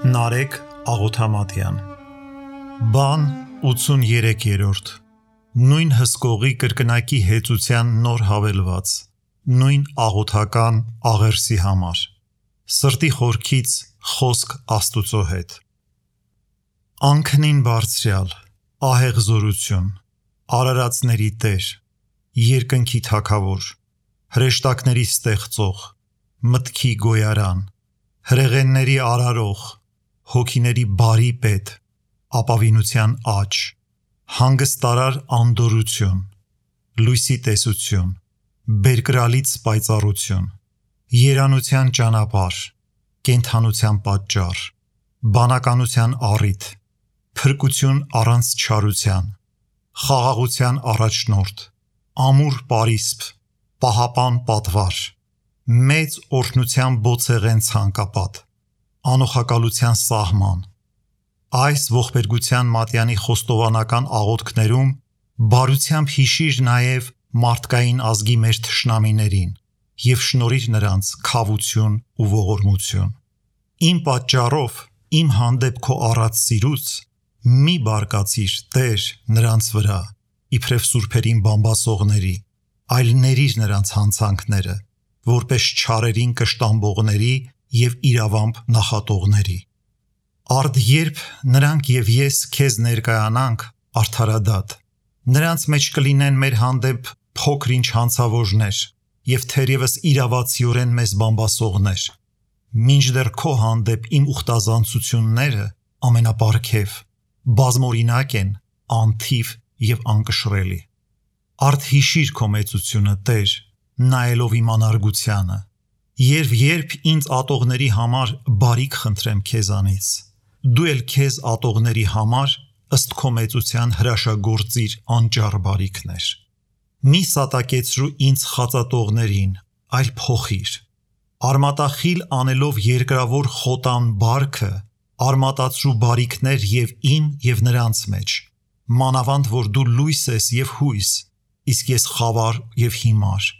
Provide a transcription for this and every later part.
Նարեկ Աղոթամատյան Բան 83-րդ Նույն հսկողի կրկնակի հեծության նոր հավելված Նույն աղոթական աղերսի համար Սրտի խորքից խոսք Աստուծո հետ Անքնին բարձրյալ ահեղզորություն Արարածների Տեր Երկնքի Թագավոր Հրեշտակների ստեղծող Մտքի գոյարան Հրեղենների արարող Հոգիների բարի պետ Ապավինության աճ Հանգստարար անդորություն Լույսի տեսություն Բերկրալից պայծառություն Երանության ճանապարհ Կենդանության պատճառ Բանականության առիթ Փրկություն առանց չարության Խաղաղության առաջնորդ Ամուր պարիսպ Պահապան պատվար Մեծ օրհնության բոցեղեն ցանկապատ Անոխակալության սահման Այս ողբերգության մատյանի խոստովանական աղոթքներում բարությամբ հիշիր նաև մարդկային ազգի մեր թշնամիներին և շնորհիր նրանց քավություն ու ողորմություն Իմ պատճառով իմ հանդեպ քո առած սիրուց մի բարկացիր Տեր նրանց վրա իբրև սուրբերին բամբասողների այլ ներիր նրանց հանցանքները որպես չարերին կշտամբողների և իրավամբ նախատողների Արդ երբ նրանք և ես քեզ ներկայանանք արդարադատ նրանց մեջ կլինեն մեր հանդեպ փոքր-ինչ հանցավորներ և թերևս իրավացիորեն մեզ բամբասողներ մինչդեռ քո հանդեպ իմ ուխտազանցությունները ամենապարգև բազմօրինակ են անթիվ և անկշռելի Արդ հիշիր քո մեծությունը Տեր նայելով իմ անարգությանը երբ ինձ ատողների համար բարիք խնդրեմ քեզանից դու էլ քեզ ատողների համար ըստ քո մեծության հրաշագործիր անճառ բարիքներ Մի սատակեցրու ինձ խածատողներին այլ փոխիր Արմատախիլ անելով երկրավոր խոտան բարքը արմատացրու բարիքներ և իմ և նրանց մեջ մանավանդ որ դու լույս ես և հույս իսկ ես խավար և հիմար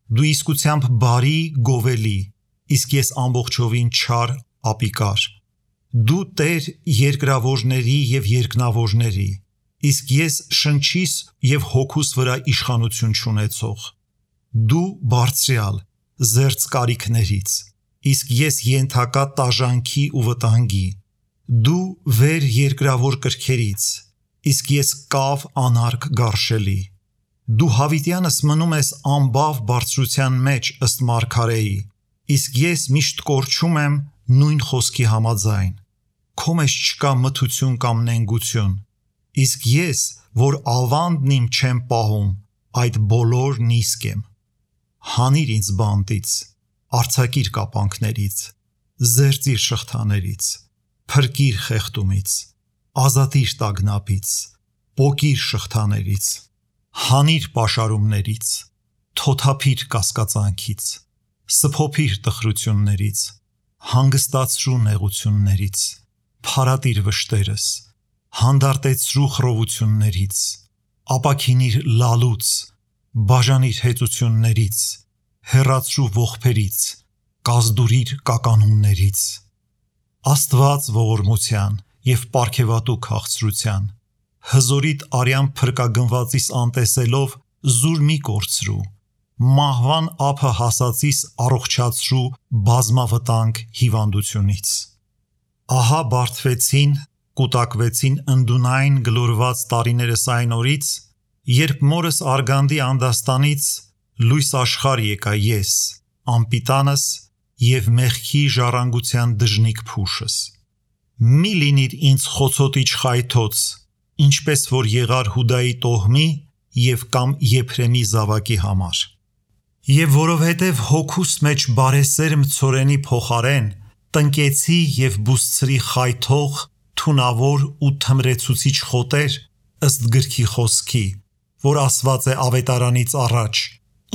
Դու իսկությամբ բարի գովելի իսկ ես ամբողջովին չար ապիկար Դու Տեր երկրավորների և երկնավորների իսկ ես շնչիս և հոգուս վրա իշխանություն չունեցող Դու բարձրյալ զերծ կարիքներից իսկ ես ենթակա տաժանքի ու վտանգի Դու վեր երկրավոր կրքերից իսկ ես կավ անարգ գարշելի Դու հավիտյանս մնում ես ամբավ բարձրության մեջ ըստ մարգարեի իսկ ես միշտ կորչում եմ նույն խոսքի համաձայն Քո մեջ չկա մթություն կամ նենգություն իսկ ես որ ավանդն իմ չեմ պահում այդ բոլորն իսկ եմ Հանիր ինձ բանտից արձակիր կապանքներից զերծիր շղթաներից փրկիր խեղդումից ազատիր տագնապից պոկիր շղթաներից Հանիր պաշարումներից թոթափիր կասկածանքից սփոփիր տխրություններից հանգստացրու նեղություններից փարատիր վշտերս հանդարտեցրու խռովություններից ապաքինիր լալուց բաժանիր հեծություններից հեռացրու ողբերից կազդուրիր կականումներից Աստված ողորմության և պարգևատու քաղցրության Հզորիդ արյան փրկագնվածիս անտեսելով զուր մի կորցրու Մահվան ափը հասածիս առողջացրու բազմավտանգ հիվանդությունից Ահա բարդվեցին, կուտակվեցին ընդունայն գլորված տարիներս այն օրից Երբ մորս արգանդի անդաստանից լույս աշխարհ եկա ես անպիտանս և մեղքի ժառանգության դժնիկ փուշս Մի լինիր ինձ խոցոտիչ խայթոց Ինչպես որ եղար Հուդայի տոհմի և կամ Եփրեմի զավակի համար Եվ որովհետև հոգուս մեջ բարեսերմ ցորենի փոխարեն տնկեցի և բուսցրի խայթող թունավոր ու թմրեցուցիչ խոտեր ըստ գրքի խոսքի որ ասված է ավետարանից առաջ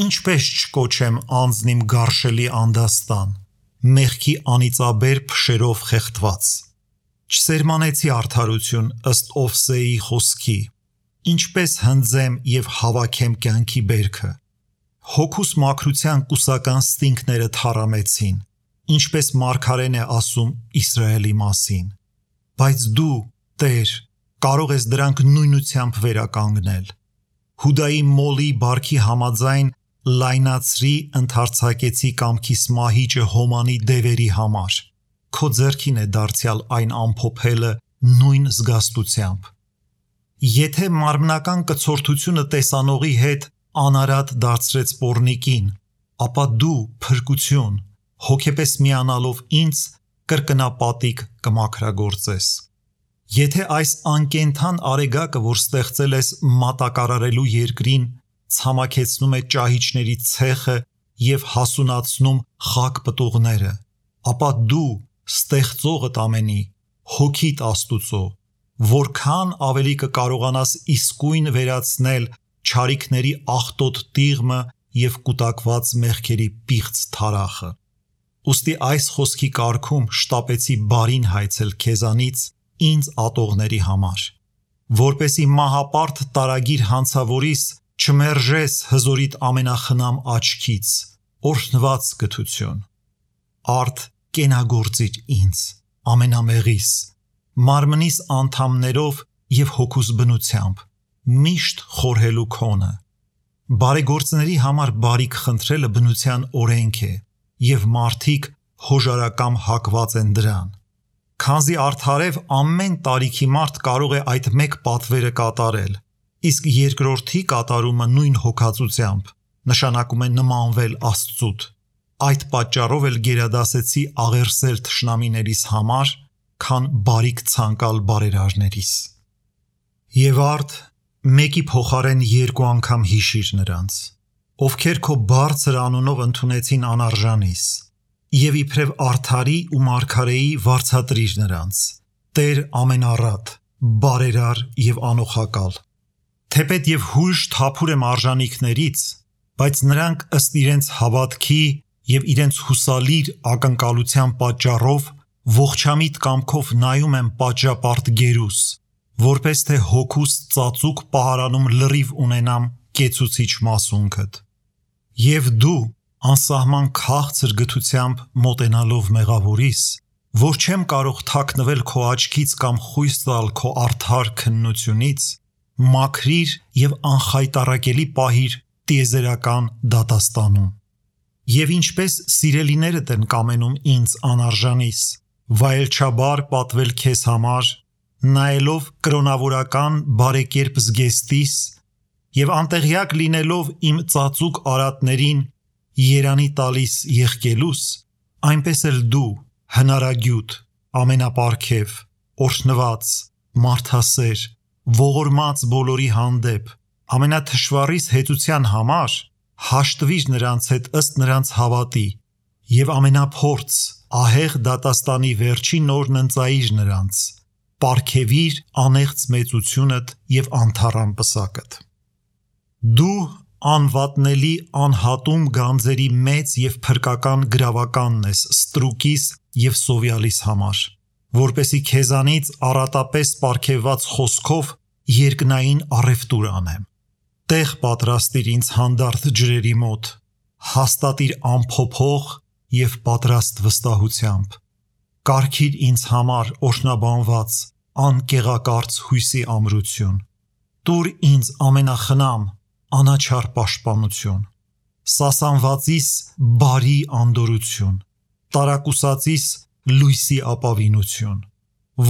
ինչպես չկոչեմ անձն իմ գարշելի անդաստան մեղքի անիծաբեր փշերով խեղդված Չսերմանեցի արդարություն ըստ Օվսեի խոսքի Ինչպես հնձեմ և հավաքեմ կյանքի բերքը Հոգուս մաքրության կուսական ստինքները թառամեցին ինչպես մարգարեն է ասում Իսրայելի մասին։ Բայց դու, Տեր, կարող ես դրանք նույնությամբ վերականգնել։ Հուդայի մոլի բարքի համաձայն լայնացրի ընդարձակեցի կամքիս մահիճը հոմանի դևերի համար։ Քո ձեռքին է դարձյալ այն ամփոփելը նույն զգաստությամբ։ Եթե մարմնական կցորդությունը տեսանողի հետ անարատ դարձրեց պոռնիկին, ապա դու փրկություն, հոգեպես միանալով ինձ կրկնապատիկ կմաքրագործես։ Եթե այս անկենդան արեգակը, որ ստեղծել ես մատակարարելու երկրին, ցամաքեցնում է ճահիճների ցեխը և հասունացնում խակ պտուղները, ապա դու ստեղծողդ ամենի, հոգիդ Աստուծո, որքան ավելի կկարողանաս իսկույն վերացնել չարիքների աղտոտ տիղմը և կուտակված մեղքերի պիղծ թարախը։ Ուստի այս խոսքի կարգում շտապեցի բարին հայցել քեզանից ինձ ատողների համար, որպեսի մահապարտ տարագիր հանցավորիս չմերժես հզորիդ ամենախնամ աչքից, օրհնված կթություն։ Արդ կենագործիր ինձ, ամենամեղիս, մարմնիս անդամներով և հոգուս բնությամբ, միշտ խորհելու քոնը։ Բարեգործների համար բարիք խնդրելը բնության օրենք է, և մարդիկ հոժարակամ հակված են դրան։ Քանզի արդարև ամեն տարիքի մարդ կարող է այդ մեկ պատվերը կատարել, իսկ երկրորդի կատարումը նույն հոգածությամբ նշանակում է նմանվել Աստծուց։ Այդ պատճառով էլ գերադասեցի աղերսել թշնամիներիս համար, քան բարիք ցանկալ բարերարներիս։ Եվ արդ մեկի փոխարեն երկու անգամ հիշիր նրանց, ովքեր քո բարձր անունով ընդունեցին անարժանիս, և իբրև արդարի ու մարգարեի վարձատրիր նրանց, Տեր ամենառատ, բարերար և անոխակալ։ Թեպետ և հույժ թափուր եմ արժանիքներից, բայց նրանք ըստ իրենց հավատքի և իրենց հուսալիր ակնկալության պատճառով ողջամիտ կամքով նայում եմ պատժապարտ գերուս, որպես թե հոգուս ծածուկ պահարանում լրիվ ունենամ կեցուցիչ մասունքդ։ Եվ դու անսահման քաղցր գթությամբ մոտենալով մեղավորիս, որ չեմ կարող թաքնվել քո աչքից կամ խույս տալ քո արդար քննությունից, մաքրիր և անխայտառակելի պահիր տիեզերական դատաստանում։ Եվ ինչպես սիրելիներդ են կամենում ինձ անարժանիս, վայելչաբար պատվել քեզ համար, նայելով կրոնավորական բարեկերպ զգեստիս և անտեղյակ լինելով իմ ծածուկ արատներին երանի տալիս եղկելուս, այնպես էլ դու հնարագյուտ, ամենապարգև, օրհնված, մարդասեր, ողորմած բոլորի հանդեպ, ամենաթշվառիս հեծության համար հաշտվիր նրանց հետ ըստ նրանց հավատի և ամենափորձ, ահեղ դատաստանի վերջին օրն ընծայիր նրանց, պարգևիր անեղծ մեծությունդ և անթառամ պսակդ։ Դու անվատնելի անհատում գանձերի մեծ և փրկական գրավականն ես ստրուկիս և սովյալիս համար, որպեսի քեզանից առատապես պարգևված խոսքով երկնային առևտուր անեմ։ Տեղ պատրաստիր ինձ հանդարտ ջրերի մոտ, հաստատիր ամփոփող և պատրաստ վստահությամբ, կարգիր ինձ համար օրհնաբանված անկեղակարծ հույսի ամրություն, տուր ինձ ամենախնամ անաչառ պաշտպանություն, սասանվածիս բարի անդորրություն, տարակուսածիս լույսի ապավինություն,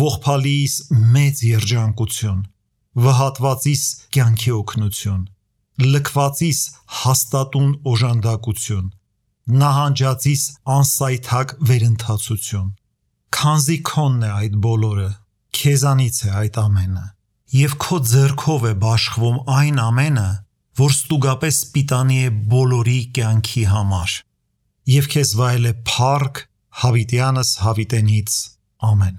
ողբալիիս մեծ երջանկություն, վհատվածիս կյանքի օգնություն, լքվածիս հաստատուն օժանդակություն, նահանջածիս անսայթակ վերընթացություն։ Քանզի քոնն է այդ բոլորը, քեզանից է այդ ամենը, և քո ձեռքով է բաշխվում այն ամենը, որ ստուգապես պիտանի է բոլորի կյանքի համար, և քեզ վայել է փառք հավիտյանս հավիտենից, ամեն։